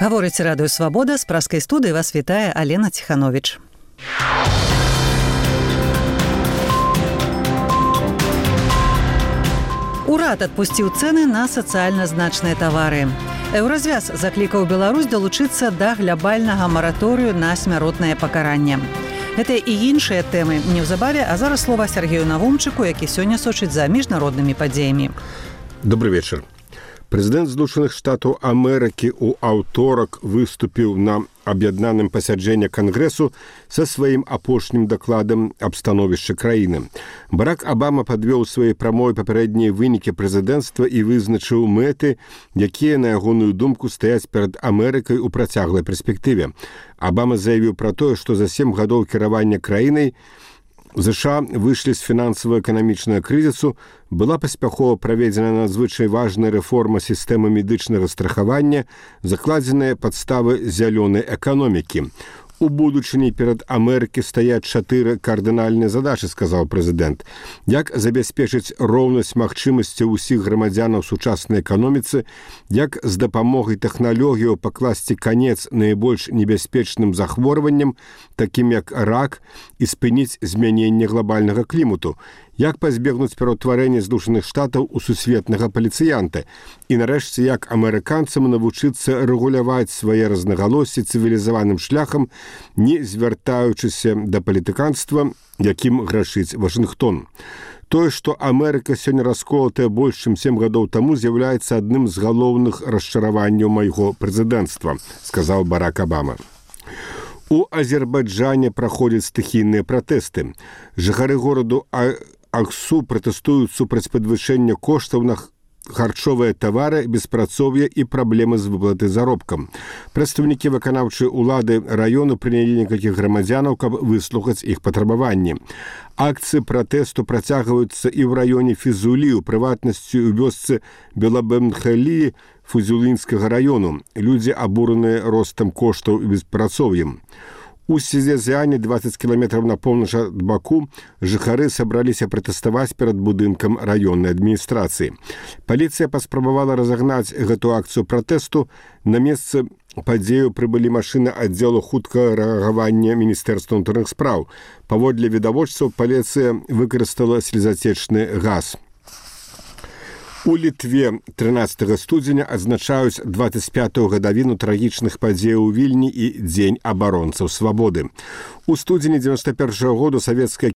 Гаворыць Радыё Свабода, з праскай студыі вас вітае Алена Ціхановіч. Урад адпусціў цэны на сацыяльна значныя тавары. Еўразвяз заклікаў Беларусь далучыцца да глябальнага мараторыю на смяротнае пакаранне. Гэта і іншыя тэмы неўзабаве, а зараз слова Сергею Навумчыку, які сёння сочыць за міжнароднымі падзеямі. Добрый вечер. Прэзідэнт Злучаных Штатаў Амерыкі ў аўторак выступіў на аб'яднаным пасяджэнні Кангрэсу са сваім апошнім дакладам аб становішчы краіны. Барак Абама падвёў сваёй прамове папярэднія вынікі прэзідэнцтва і вызначыў мэты, якія, на ягоную думку, стаяць перад Амерыкай у працяглай перспектыве. Абама заявіў пра тое, што за 7 гадоў кіравання краінай ЗША выйшлі з фінансава-эканамічнага крызісу, была паспяхова праведзена надзвычай важная рэформа сістэмы медычнага страхавання, закладзеныя падставы зялёнай эканомікі. У будучыні перад Амерыкі стаяць 4 кардынальныя задачы, сказаў прэзідэнт. Як забяспечыць роўнасць магчымасцяў усіх грамадзянаў сучаснай эканоміцы, як з дапамогай тэхналогіяў пакласці канец найбольш небяспечным захворванням, такім як рак, і спыніць змяненне глобальнага клімату, як пазбегнуць пераўтварэння Злучаных Штатаў у сусветнага паліцыянта і, нарэшце, як амерыканцам навучыцца рэгуляваць свае рознагалоссі цывілізаваным шляхам, не звяртаючыся да палітыканства, якім грашыць Вашынгтон. Тое, што Амерыка сёння расколатая больш, чым 7 гадоў таму, з'яўляецца адным з галоўных расчараванняў майго прэзідэнцтва, сказаў Барак Абама. У Азербайджане праходзяць стыхійныя пратэсты. Жыхары гораду Аксу пратэстуюць супраць падвышэння коштаў на харчовыя тавары, беспрацоўе і праблемы з выплатай заробкам. Прадстаўнікі выканаўчай улады раёну прынялі некалькіх грамадзянаў, каб выслухаць іх патрабаванні. Акцыі пратэсту працягваюцца і ў раёне Фізулі, у прыватнасці ў вёсцы Белабемхалі Фузулінскага раёну. Людзі абураныя ростам коштаў і беспрацоўем. У Сезязяне, 20 кіламетраў на поўнач ад Баку, жыхары сабраліся пратэставаць перад будынкам раённай адміністрацыі. Паліцыя паспрабавала разагнаць гэту акцыю пратэсту. На месцы падзею прыбылі машыны аддзелу хуткага рэагавання Міністэрства ўнутраных спраў. Паводле відавочцаў, паліцыя выкарыстала слезацечны газ. У Літве 13 студзеня адзначаюць 25-ю гадавіну трагічных падзеяў у Вільні і Дзень абаронцаў свабоды. У студзені 91-го году савецкая